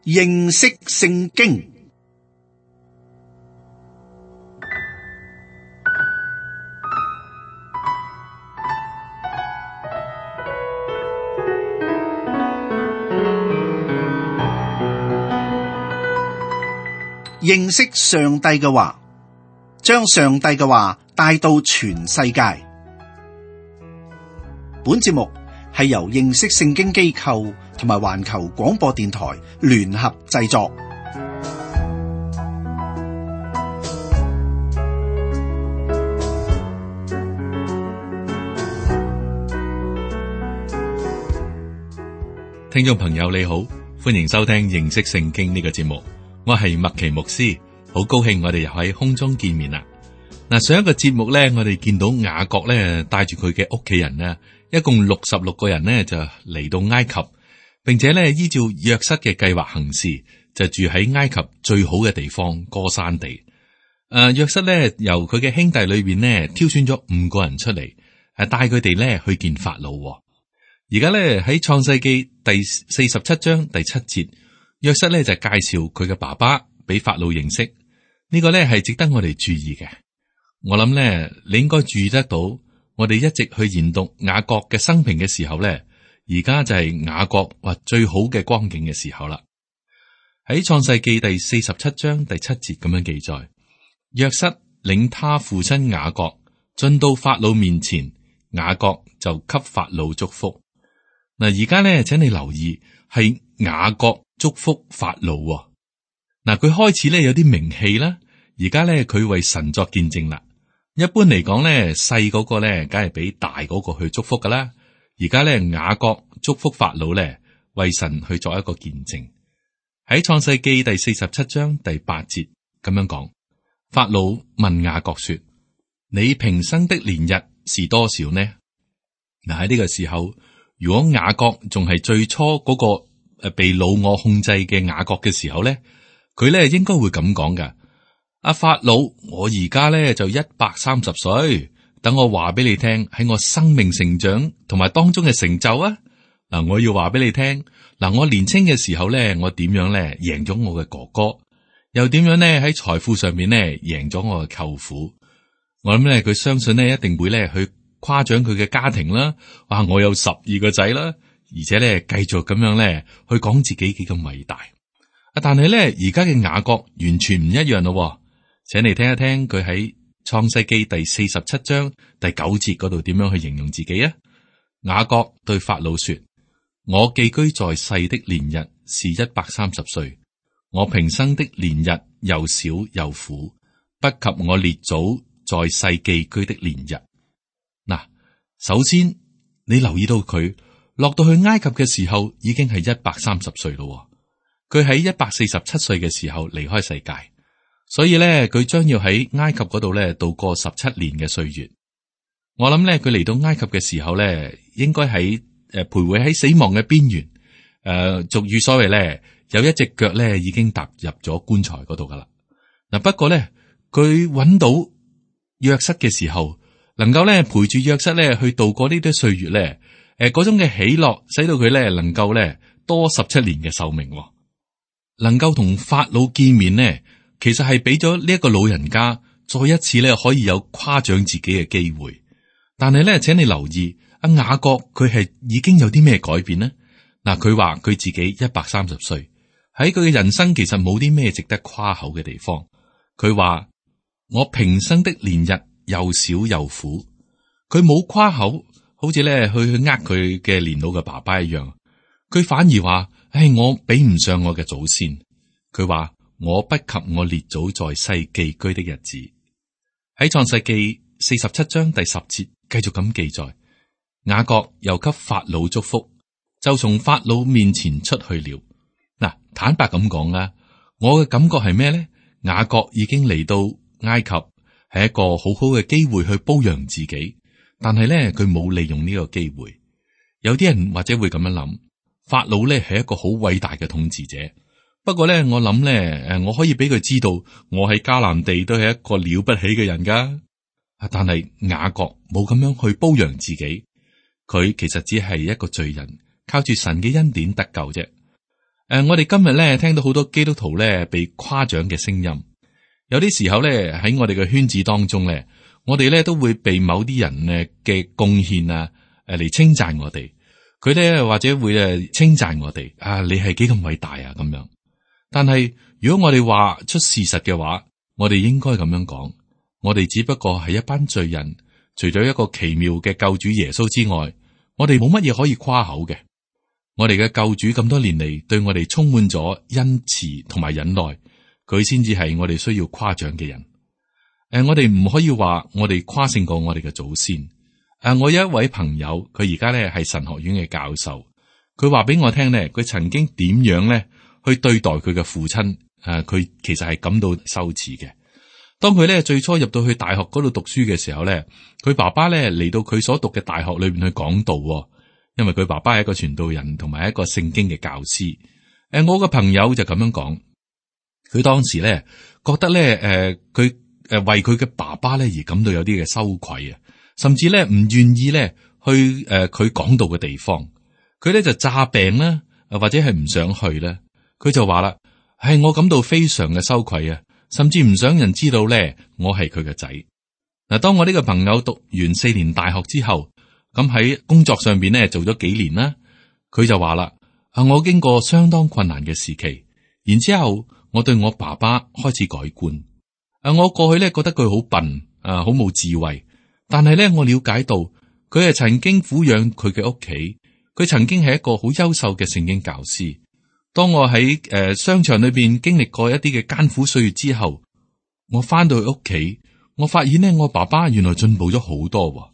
認識聖經。認識上帝嘅話，將上帝嘅話帶到全世界。本節目係由認識聖經機構同埋環球廣播電台聯合製作。聽眾朋友你好，歡迎收聽認識聖經呢個節目。我係麥奇牧師，好高興我哋又喺空中見面啦。嗱，上一個節目咧，我哋見到雅各咧帶住佢嘅屋企人咧，一共66個人咧就嚟到埃及，並且咧依照約瑟嘅計劃行事，就住喺埃及最好嘅地方歌珊地。約瑟咧由佢嘅兄弟裏邊咧挑選咗5個人出嚟，係帶佢哋咧去見法老。而家咧喺創世記第47章第7節。約瑟咧就介紹佢嘅爸爸俾法老認識，呢個咧係值得我哋注意嘅。我諗咧你應該注意得到，我哋一直去研讀雅各嘅生平嘅時候咧，而家就係雅各話最好嘅光景嘅時候啦。喺創世記第47章第7節咁樣記載，約瑟領他父親雅各進到法老面前，雅各就給法老祝福。嗱，而家咧請你留意係雅各祝福法老。嗱，佢開始咧有啲名氣啦，而家咧佢為神作見證啦。一般嚟講咧，細嗰個咧梗係俾大嗰個去祝福噶啦。而家咧雅各祝福法老咧，為神去作一個見證。喺創世記第47章第8節咁樣講，法老問雅各說：你平生的年日是多少呢？嗱，喺呢個時候，如果雅各仲係最初嗰個被老我控制嘅雅各嘅時候咧，佢咧應該會咁講噶。阿法老，我而家咧就130歲，等我話俾你聽，喺我生命成長同埋當中嘅成就啊。嗱，我要話俾你聽，嗱，我年輕嘅時候咧，我點樣咧贏咗我嘅哥哥，又點樣咧喺財富上面咧贏咗我嘅舅父。我諗咧佢相信咧一定會咧去誇獎佢嘅家庭啦。哇，我有12個仔啦。而且咧，繼續咁樣咧，去講自己幾咁偉大。但係咧，而家嘅雅各完全唔一樣咯。請你聽一聽佢喺創世記第47章第9節嗰度點樣去形容自己啊？雅各對法老說：我寄居在世的年日是130歲，我平生的年日又小又苦，不及我列祖在世寄居的年日。嗱，首先你留意到佢落到去埃及嘅時候，已經係130歲咯。佢喺147歲嘅時候離開世界，所以咧佢將要喺埃及嗰度咧度過17年嘅歲月。我諗咧佢嚟到埃及嘅時候咧，應該喺徘徊喺死亡嘅邊緣。俗語所謂咧，有一隻腳咧已經踏入咗棺材嗰度噶啦。嗱，不過咧佢揾到約瑟嘅時候，能夠咧陪住約瑟咧去度過呢啲歲月咧。嗰種嘅喜樂，使到佢咧能夠咧多17年嘅壽命，能夠同法老見面呢，其實係俾咗呢一個老人家再一次咧可以有誇獎自己嘅機會。但係咧，請你留意阿雅各佢係已經有啲咩改變呢？嗱，佢話佢自己130歲，喺佢嘅人生其實冇啲咩值得誇口嘅地方。佢話我平生的年日又小又苦，佢冇誇口。好似咧去呃佢嘅年老嘅爸爸一樣，佢反而話：我比唔上我嘅祖先。佢話我不及我列祖在世寄居的日子。喺創世記47章第10節繼續咁記載，雅各又給法老祝福，就從法老面前出去了。嗱，坦白咁講啦，我嘅感覺係咩咧？雅各已經嚟到埃及，係一個好好嘅機會去褒揚自己。但係咧，佢冇利用呢個機會。有啲人或者會咁樣諗，法老咧係一個好偉大嘅統治者。不過咧，我諗咧，我可以俾佢知道，我喺迦南地都係一個了不起嘅人噶。但係雅各冇咁樣去褒揚自己，佢其實只係一個罪人，靠住神嘅恩典得救啫。我哋今日咧聽到好多基督徒咧被誇獎嘅聲音，有啲時候咧喺我哋嘅圈子當中咧，我哋咧都會被某啲人嘅貢獻啊嚟稱讚我哋，佢咧或者會稱讚我哋啊，你係幾咁偉大啊咁樣。但係如果我哋話出事實嘅話，我哋應該咁樣講，我哋只不過係一班罪人，除咗一個奇妙嘅救主耶穌之外，我哋冇乜嘢可以誇口嘅。我哋嘅救主咁多年嚟對我哋充滿咗恩慈同埋忍耐，佢先至係我哋需要誇獎嘅人。我哋唔可以話我哋誇勝過我哋嘅祖先。我有一位朋友，佢而家咧係神學院嘅教授，佢話俾我聽咧，佢曾經點樣咧去對待佢嘅父親。佢其實係感到羞恥嘅。當佢咧最初入到去大學嗰度讀書嘅時候咧，佢爸爸咧嚟到佢所讀嘅大學裏邊去講道，因為佢爸爸係一個傳道人同埋一個聖經嘅教師。我個朋友就咁樣講，佢當時咧覺得咧，佢為佢嘅爸爸咧而感到有啲嘅羞愧啊，甚至咧唔願意咧去佢講道嘅地方。佢咧就詐病啦，或者係唔想去啦。佢就話啦，係我感到非常嘅羞愧啊，甚至唔想人知道咧我係佢嘅仔。嗱，當我呢個朋友讀完4年大學之後，咁喺工作上邊咧做咗幾年啦，佢就話啦，我經過相當困難嘅時期，然之後我對我爸爸開始改觀。我過去咧覺得佢好笨，好冇智慧，但係咧我了解到佢係曾經撫養佢嘅屋企，佢曾經係一個好優秀嘅聖經教師。當我喺商場裏邊經歷過一啲嘅艱苦歲月之後，我翻到去屋企，我發現咧我爸爸原來進步咗好多。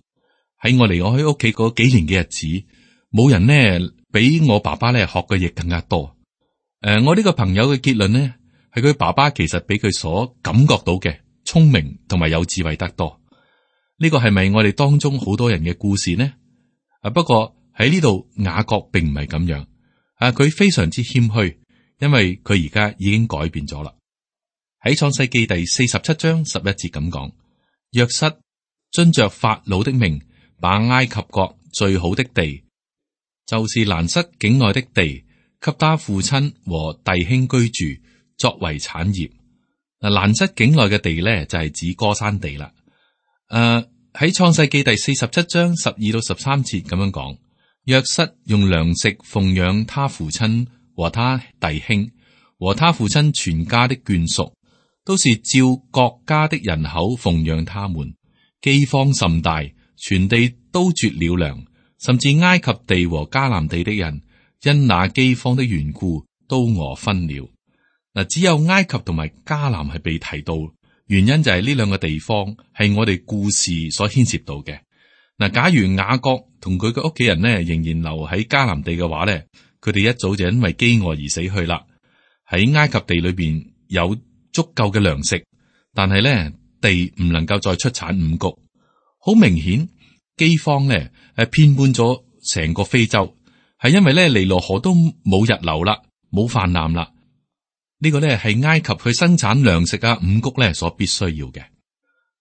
喺我離我喺屋企嗰幾年嘅日子，冇人呢比我爸爸咧學嘅嘢更加多。我呢個朋友嘅結論呢，係佢爸爸其實比佢所感覺到嘅聰明同埋有智慧得多。呢個係咪我哋當中好多人嘅故事呢？不過喺呢度雅各並唔係咁樣。佢非常之謙虛，因為佢而家已經改變咗啦。喺創世記第47章11節咁講，約瑟遵着法老的命，把埃及國最好的地，就是蘭塞境內的地，給他父親和弟兄居住，作為產業。蘭塞境內嘅地咧就係指歌珊地啦。喺創世記第47章12到13節咁樣講。約瑟用糧食奉養他父親和他弟兄和他父親全家的眷屬，都是照各家的人口奉養他們。饑荒甚大，全地都絕了糧，甚至埃及地和迦南地的人因那饑荒的緣故都餓昏了。嗱，只有埃及同埋迦南係被提到，原因就係呢兩個地方係我哋故事所牽涉到嘅。嗱，假如雅各同佢嘅屋企人呢仍然留喺迦南地嘅話咧，佢哋一早就因為飢餓而死去啦。喺埃及地裏邊有足夠嘅糧食，但係咧地唔能夠再出產五穀。好明顯，飢荒咧遍滿咗成個非洲，係因為咧尼羅河都冇日流啦，冇泛濫啦。呢個咧係埃及去生產糧食啊五穀咧所必須要嘅。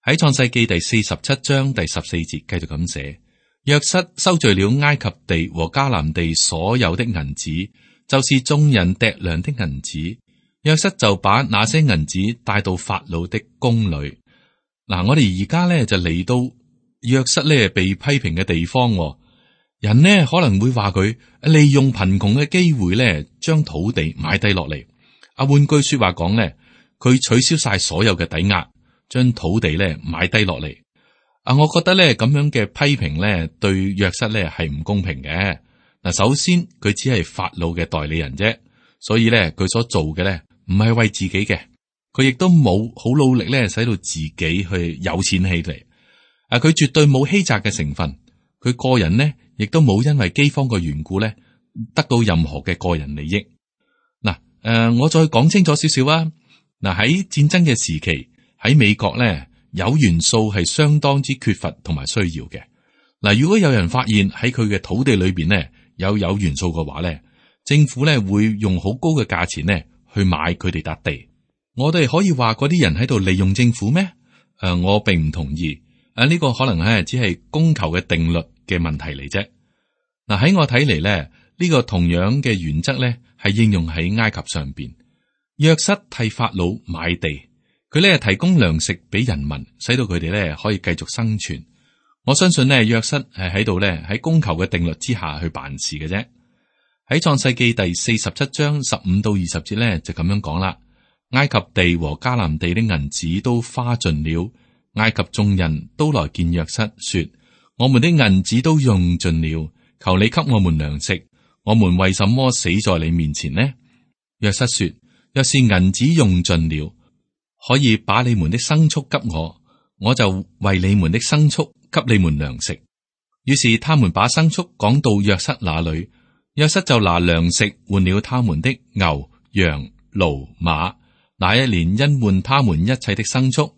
喺創世記第47章第14節繼續咁寫，約瑟收聚了埃及地和迦南地所有的銀子，就是眾人糴糧的銀子。約瑟就把那些銀子帶到法老的宮裏。嗱，我哋而家咧就嚟到約瑟咧被批評嘅地方。人呢可能會話佢利用貧窮嘅機會咧，將土地買低落嚟。換句說話講咧，佢取消晒所有嘅抵押。將土地咧買低落嚟。我覺得咧咁樣嘅批評咧對約瑟咧係唔公平嘅。嗱，首先佢只係法老嘅代理人啫，所以咧佢所做嘅咧唔係為自己嘅，佢亦都冇好努力咧使到自己去有錢起嚟。佢絕對冇欺詐嘅成分，佢個人呢亦都冇因為饑荒嘅緣故咧得到任何嘅個人利益。嗱，我再講清楚少少啊。嗱，喺戰爭嘅時期。喺美國咧，有元素係相當之缺乏同埋需要嘅。嗱，如果有人發現喺佢嘅土地裏邊咧有元素嘅話咧，政府咧會用好高嘅價錢咧去買佢哋笪地。我哋可以話嗰啲人喺度利用政府咩？我並唔同意。呢個可能係只係供求嘅定律嘅問題嚟啫。嗱，喺我睇嚟咧，呢個同樣嘅原則咧，係應用喺埃及上邊。約瑟替法老買地，佢咧提供糧食俾人民，使到佢哋咧可以繼續生存。我相信咧，約瑟係喺度咧喺供求嘅定律之下去辦事嘅啫。喺創世記第47章15到20節咧就咁樣講啦。埃及地和迦南地的銀子都花盡了，埃及眾人都來見約瑟，說：我們的銀子都用盡了，求你給我們糧食。我們為什麼死在你面前呢？約瑟說：若是銀子用盡了，可以把你們的牲畜給我，我就為你們的牲畜給你們糧食。於是他們把牲畜趕到約瑟那裏，約瑟就拿糧食換了他們的牛、羊、驢、馬。那一年因換他們一切的牲畜，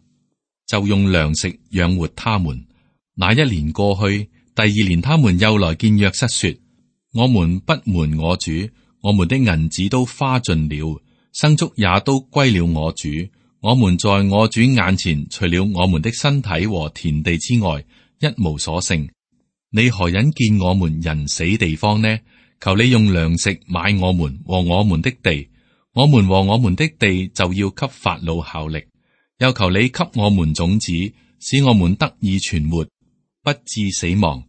就用糧食養活他們。那一年過去，第二年他們又來見約瑟說：我們不瞞我主，我們的銀子都花盡了，牲畜也都歸了我主。我們在我主眼前，除了我們的身體和田地之外，一無所剩。你何忍見我們人死地方呢？求你用糧食買我們和我們的地。我們和我們的地就要給法老效力，又求你給我們種子，使我們得以存活，不致死亡，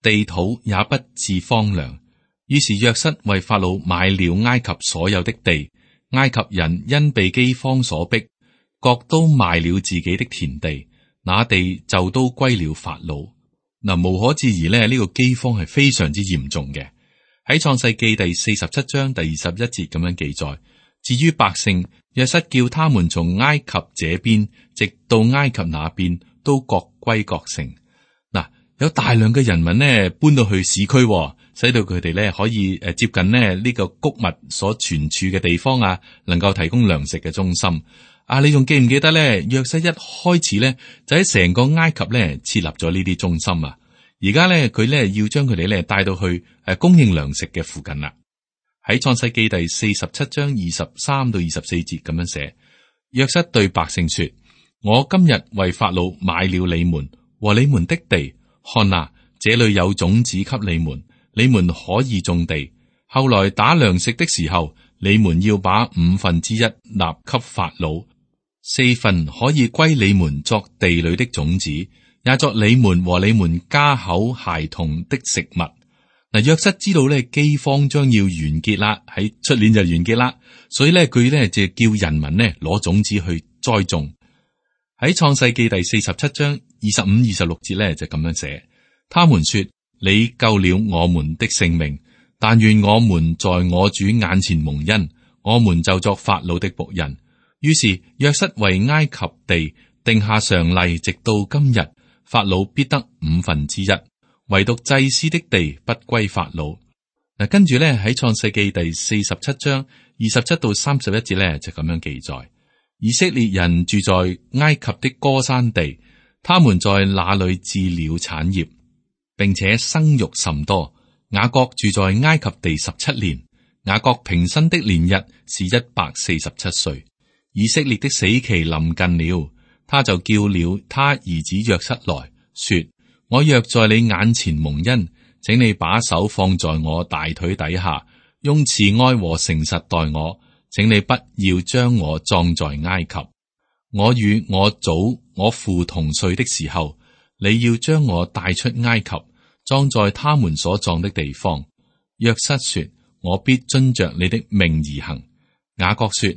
地土也不致荒涼。於是約瑟為法老買了埃及所有的地，埃及人因被饑荒所逼，各都賣了自己的田地，那地就都歸了法老。嗱，無可置疑咧，呢個饑荒係非常之嚴重嘅。喺創世記第47章第21節咁樣記載。至於百姓，約瑟叫他們從埃及這邊直到埃及那邊，都各歸各城。嗱，有大量嘅人民呢搬到去市區，使到佢哋咧可以接近呢個穀物所存儲嘅地方啊，能夠提供糧食嘅中心。啊，你仲記唔記得咧？約瑟一開始咧就喺成個埃及咧設立咗呢啲中心啊。而家咧佢咧要將佢哋咧帶到去供應糧食嘅附近啦。喺創世記第47章23到24節咁樣寫，約瑟對百姓說：我今日為法老買了你們和你們的地，看哪，這裏有種子給你們，你們可以種地。後來打糧食的時候，你們要把1/5納給法老，4分可以歸你們作地裏的種子，也作你們和你們家口孩童的食物。嗱，約瑟知道咧饑荒將要完結啦，喺出年就完結啦，所以咧佢咧就叫人民咧攞種子去栽種。喺創世記第47章25、26節咧就咁樣寫，他們說：你救了我們的性命，但願我們在我主眼前蒙恩，我們就作法老的僕人。於是約瑟為埃及地定下常例，直到今日，法老必得1/5。唯獨祭司的地不歸法老。嗱，跟住咧喺創世記第47章27到31節咧就咁樣記載：以色列人住在埃及的歌珊地，他們在那裏置了產業，並且生育甚多。雅各住在埃及地17年，雅各平生的年日是147歲。以色列的死期臨近了，他就叫了他兒子約瑟來說：我若在你眼前蒙恩，請你把手放在我大腿底下，用慈愛和誠實待我。請你不要將我葬在埃及。我與我祖我父同睡的時候，你要將我帶出埃及，葬在他們所葬的地方。約瑟說：我必遵着你的命而行。雅各說：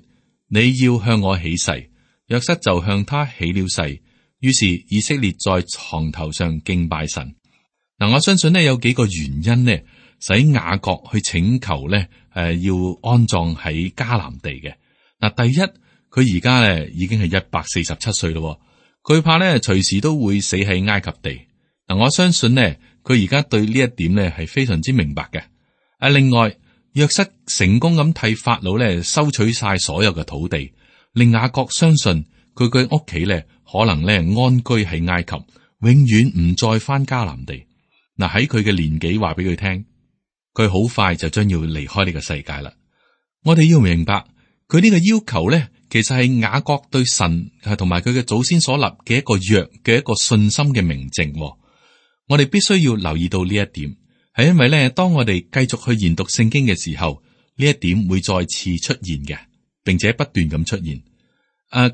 你要向我起誓。約瑟就向他起了誓。於是以色列在床頭上敬拜神。嗱，我相信呢有幾個原因呢，使雅各去請求呢，要安葬喺迦南地嘅。嗱，第一，佢而家呢已經係147歲咯，佢怕呢隨時都會死喺埃及地。嗱，我相信呢，佢而家對呢一點呢係非常之明白嘅。另外，約瑟成功咁替法老呢收取晒所有嘅土地，令雅各相信佢嘅屋企呢。可能咧安居喺埃及，永遠唔再翻迦南地。嗱，喺佢嘅年紀話俾佢聽，佢好快就將要離開呢個世界啦。我哋要明白佢呢個要求咧，其實係雅各對神同埋佢嘅祖先所立嘅一個約嘅一個信心嘅明證。我哋必須要留意到呢一點。係因為咧，當我哋繼續去研讀聖經嘅時候，呢一點會再次出現嘅，並且不斷咁出現。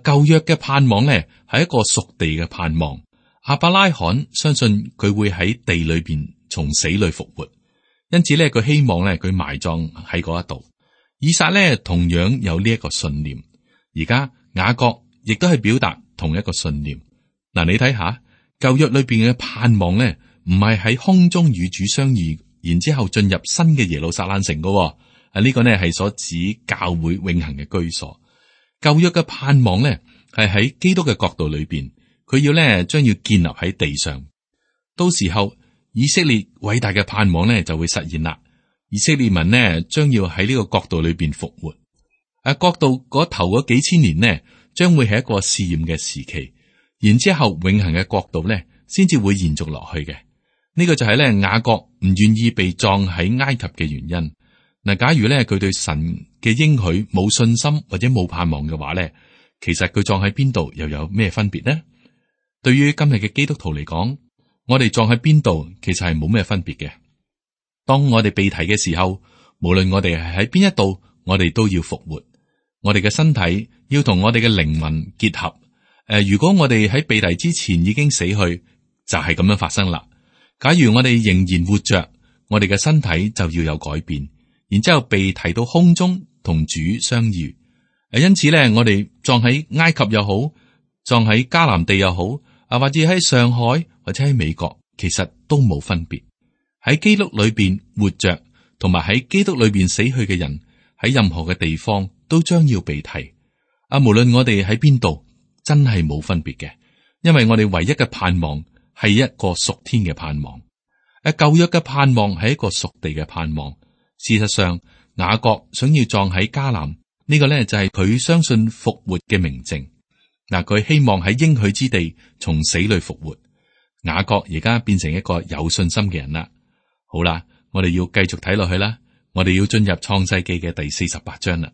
舊約嘅盼望咧係一個屬地嘅盼望。亞伯拉罕相信佢會喺地裏邊從死裏復活，因此咧佢希望咧佢埋葬喺嗰一度。以撒咧同樣有呢一個信念。而家雅各亦都係表達同一個信念。嗱，你睇下舊約裏邊嘅盼望咧，唔係喺空中與主相遇，然之後進入新嘅耶路撒冷城噶。呢個呢係所指教會永恆嘅居所。舊約嘅盼望呢係喺基督嘅國度裏邊，佢要呢將要建立喺地上。到時候以色列偉大嘅盼望呢就會實現啦。以色列民呢將要喺呢個國度裏邊復活。國度嗰頭嗰幾千年呢，將會係一個試驗嘅時期，然之後永恆嘅國度呢先至會延續落去嘅。呢個就係呢雅各唔願意被葬喺埃及嘅原因。嗱，假如咧佢對神嘅應許冇信心或者冇盼望嘅話咧，其實佢葬喺邊度又有咩分別呢？對於今日嘅基督徒嚟講，我哋葬喺邊度其實係冇咩分別嘅。當我哋被提嘅時候，無論我哋係喺邊一度，我哋都要復活。我哋嘅身體要同我哋嘅靈魂結合。如果我哋喺被提之前已經死去，就係咁樣發生啦。假如我哋仍然活着，我哋嘅身體就要有改變。然之後被提到空中同主相遇，因此咧，我哋葬喺埃及又好，葬喺迦南地又好，或者喺上海或者喺美國，其實都冇分別。喺基督裏邊活着，同埋喺基督裏邊死去嘅人，喺任何嘅地方都將要被提。無論我哋喺邊度，真係冇分別嘅，因為我哋唯一嘅盼望係一個屬天嘅盼望。舊約嘅盼望係一個屬地嘅盼望。事實上，雅各想要葬喺迦南，呢個呢就係佢相信復活嘅明證。嗱，佢希望喺應許之地從死裏復活。雅各而家變成一個有信心嘅人啦。好啦，我哋要繼續睇落去啦。我哋要進入創世記嘅第48章啦。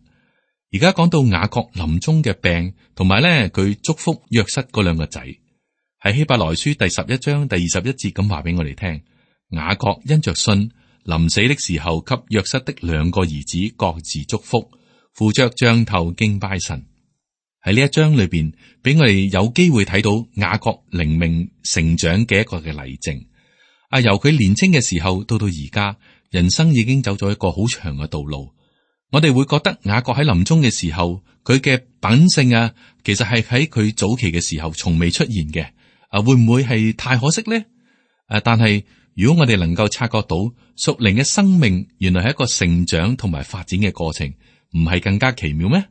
而家講到雅各臨終嘅病，同埋呢佢祝福約瑟嗰兩個仔，喺希伯來書第11章第21節咁話俾我哋聽。雅各因着信，臨死的時候，給約瑟的兩個兒子各自祝福，扶着杖頭敬拜神。喺呢一章裏邊，俾我哋有機會睇到雅各靈命成長嘅一個嘅例證。由佢年輕嘅時候到而家，人生已經走咗一個好長嘅道路。我哋會覺得雅各喺臨終嘅時候，佢嘅品性其實係喺佢早期嘅時候從未出現嘅。會唔會係太可惜呢？但係，如果我哋能夠察覺到屬靈嘅生命原來係一個成長同埋發展嘅過程，唔係更加奇妙咩？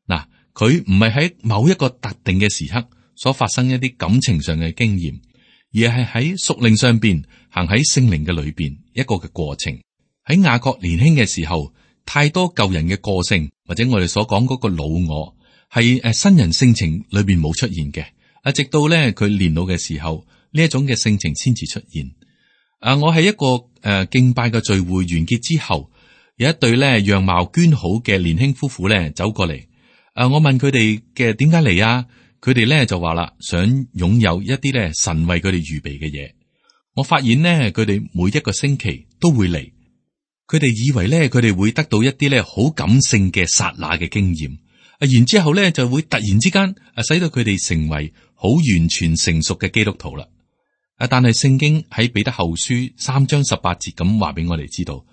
嗱，佢唔係喺某一個特定嘅時刻所發生一啲感情上嘅經驗，而係喺屬靈上邊行喺聖靈嘅裏邊一個嘅過程。喺雅各年輕嘅時候，太多舊人嘅個性或者我哋所講嗰個老我係新人性情裏邊冇出現嘅。直到咧佢年老嘅時候，呢一種嘅性情先至出現。我喺一個敬拜嘅聚會完結之後，有一對咧樣貌娟好嘅年輕夫婦咧走過嚟。我問佢哋嘅點解嚟啊？佢哋咧就話啦，想擁有一啲咧神為佢哋預備嘅嘢。我發現呢，佢哋每一個星期都會嚟。佢哋以為咧佢哋會得到一啲咧好感性嘅剎那嘅經驗，然之後咧就會突然之間使到佢哋成為好完全成熟嘅基督徒啦。但係聖經喺彼得後書3章18節咁話俾我哋知道，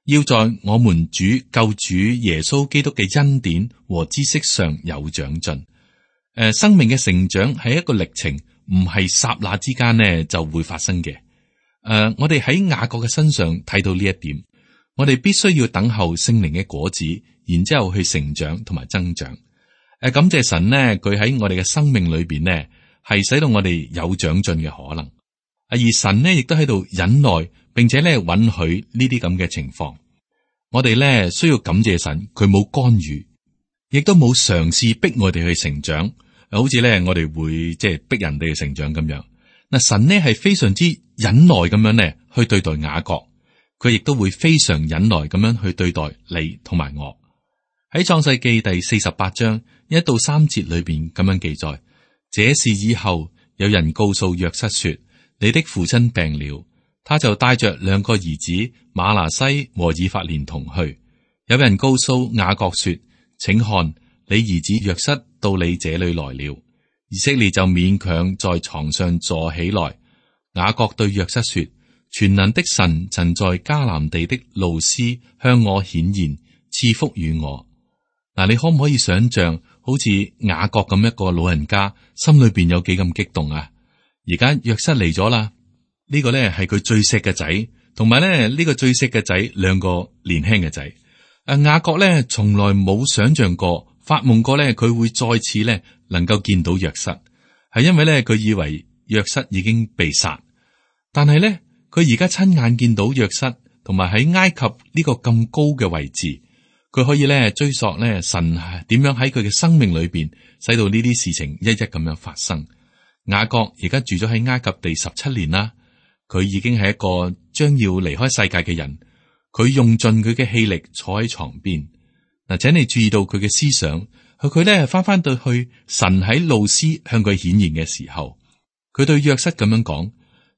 要在我們主救主耶穌基督嘅恩典和知識上有長進。生命嘅成長係一個歷程，唔係剎那之間呢就會發生嘅。我哋喺雅各嘅身上睇到呢一點，我哋必須要等候聖靈嘅果子，然之後去成長同埋增長。感謝神呢，佢喺我哋嘅生命裏邊呢係使到我哋有長進嘅可能。而神呢亦都喺度忍耐，並且咧允許呢啲咁嘅情況。我哋咧需要感謝神，佢冇干預，亦都冇嘗試逼我哋去成長。好似咧我哋會即係逼人哋去成長咁樣。嗱，神呢係非常之忍耐咁樣咧去對待雅各，佢亦都會非常忍耐咁樣去對待你同埋我。喺創世記第48章1到3節裏邊咁樣記載，這事以後有人告訴約瑟說，你的父親病了，他就帶着兩個兒子馬拿西和以法蓮同去。有人告訴雅各說：請看，你兒子約瑟到你這裏來了。以色列就勉強在床上坐起來。雅各對約瑟說：全能的神曾在迦南地的路斯向我顯現，賜福與我。嗱，你可唔可以想象，好似雅各咁一個老人家，心裏邊有幾咁激動啊？而家約瑟嚟咗啦，呢個咧係佢最錫嘅仔，同埋咧呢個最錫嘅仔兩個年輕嘅仔。雅各咧從來冇想象過、發夢過咧，佢會再次咧能夠見到約瑟，係因為咧佢以為約瑟已經被殺，但係咧佢而家親眼見到約瑟，同埋喺埃及呢個咁高嘅位置，佢可以咧追溯咧神點樣喺佢嘅生命裏邊，使到呢啲事情一一咁樣發生。雅各而家住咗喺埃及地17年啦，佢已經係一個將要離開世界嘅人。佢用盡佢嘅氣力坐喺床邊。嗱，請你注意到佢嘅思想，佢咧翻到去神喺路斯向佢顯現嘅時候，佢對約瑟咁樣講：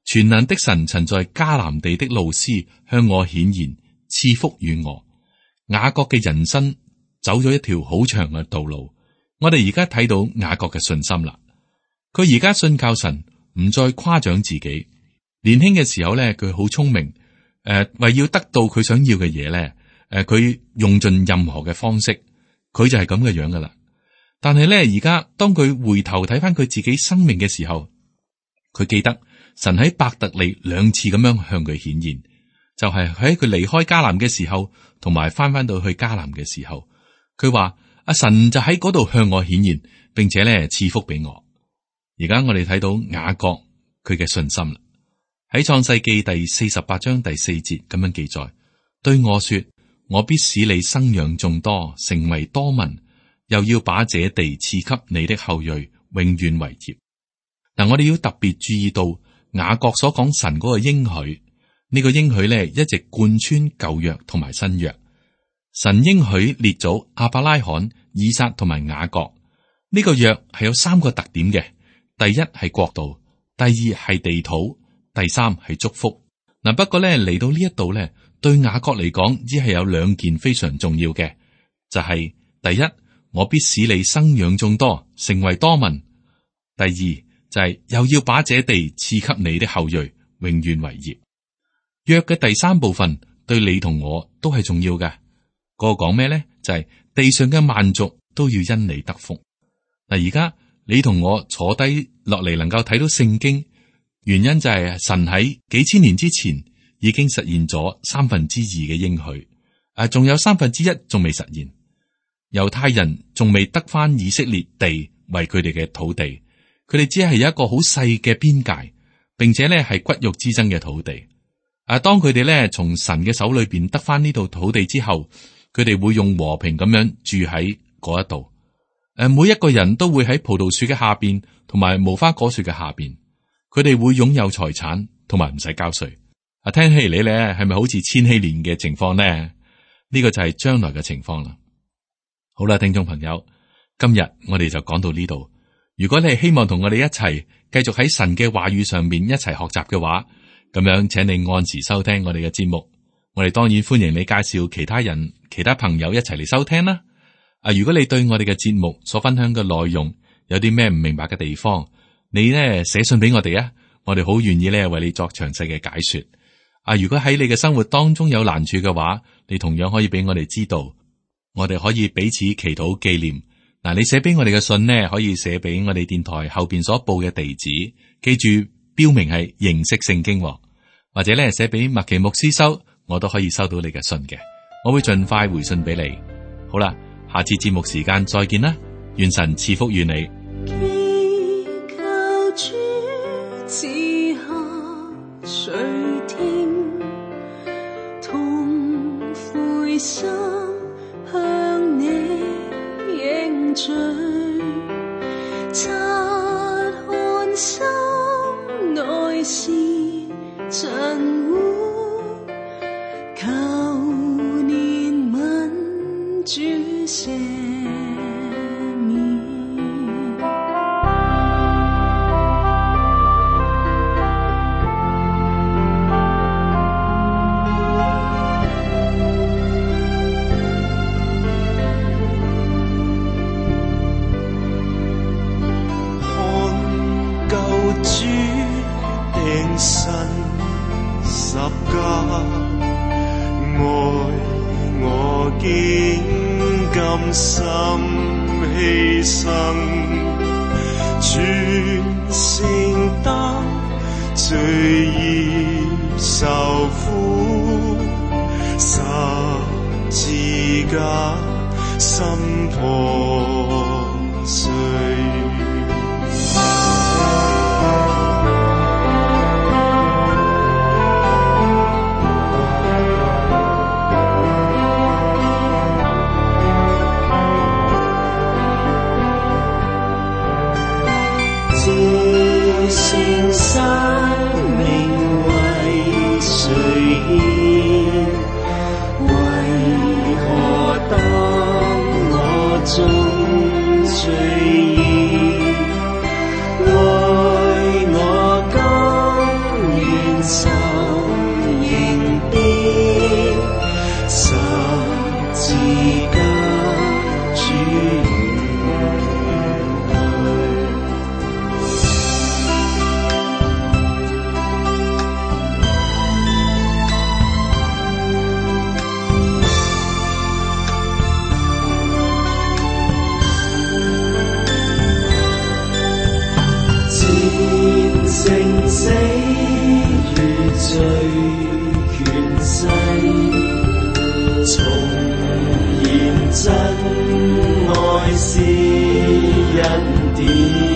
全能的神曾在迦南地的路斯向我顯現，賜福與我。雅各嘅人生走咗一條好長嘅道路。我哋而家睇到雅各嘅信心啦。佢而家信靠神，唔再誇獎自己。年輕嘅時候咧，佢好聰明。為要得到佢想要嘅嘢咧，佢用盡任何嘅方式，佢就係咁嘅樣噶啦。但係咧，而家當佢回頭睇翻佢自己生命嘅時候，佢記得神喺伯特利2次咁樣向佢顯現，就係喺佢離開迦南嘅時候，同埋翻到去迦南嘅時候，佢話阿神就喺嗰度向我顯現，並且咧賜福俾我。而家我哋睇到雅各佢嘅信心啦。喺創世記第48章第4節咁樣記載，對我說：我必使你生養眾多，成為多民，又要把這地賜給你的後裔，永遠為業。嗱，我哋要特別注意到雅各所講神嗰個應許，呢個應許咧一直貫穿舊約同埋新約。神應許列祖亞伯拉罕、以撒同埋雅各，呢個約係有3個特點嘅：第一係國度，第二係地土，第三係祝福。嗱，不過咧嚟到呢一度咧，對雅各嚟講，只係有2件非常重要嘅，就係第一，我必使你生養眾多，成為多民；第二就係又要把這地賜給你的後裔，永遠為業。約嘅第3部分對你同我都係重要嘅。嗰個講咩咧？就係地上嘅萬族都要因你得福。嗱，而家你同我坐低落嚟，能夠睇到聖經。原因就係神喺幾千年之前已經實現咗2/3嘅應許，仲有1/3仲未實現。猶太人仲未得翻以色列地為佢哋嘅土地，佢哋只係有一個好細嘅邊界，並且咧係骨肉之爭嘅土地。當佢哋咧從神嘅手裏邊得翻呢度土地之後，佢哋會用和平咁樣住喺嗰一度。每一個人都會喺葡萄樹嘅下邊，同埋無花果樹嘅下邊。佢哋會擁有財產，同埋唔使交稅。聽起嚟咧，係咪好似千禧年嘅情況呢？呢個就係將來嘅情況啦。好啦，聽眾朋友，今日我哋就講到呢度。如果你係希望同我哋一齊繼續喺神嘅話語上面一齊學習嘅話，咁樣請你按時收聽我哋嘅節目。我哋當然歡迎你介紹其他人、其他朋友一齊嚟收聽啦。如果你對我哋嘅節目所分享嘅內容有啲咩唔明白嘅地方，你呢寫信俾我哋啊，我哋好願意咧為你作詳細嘅解說。如果喺你嘅生活當中有難處嘅話，你同樣可以俾我哋知道，我哋可以彼此祈禱紀念。你寫俾我哋嘅信呢，可以寫俾我哋電台後邊所報嘅地址，記住標明係認識聖經，或者咧寫俾麥奇牧師收，我都可以收到你嘅信嘅，我會盡快回信俾你。好啦，下次節目時間再見啦，願神賜福於你。主賜下垂聽，同悔心向你認罪，察看心內是塵污，求憐憫主赦。心犧牲，全承擔罪孽受苦，十字架心破碎。聖生命為誰獻？為何當我中罪孽？愛我甘願受刑鞭，十字架主。成死如罪權勢，重現真愛是恩典。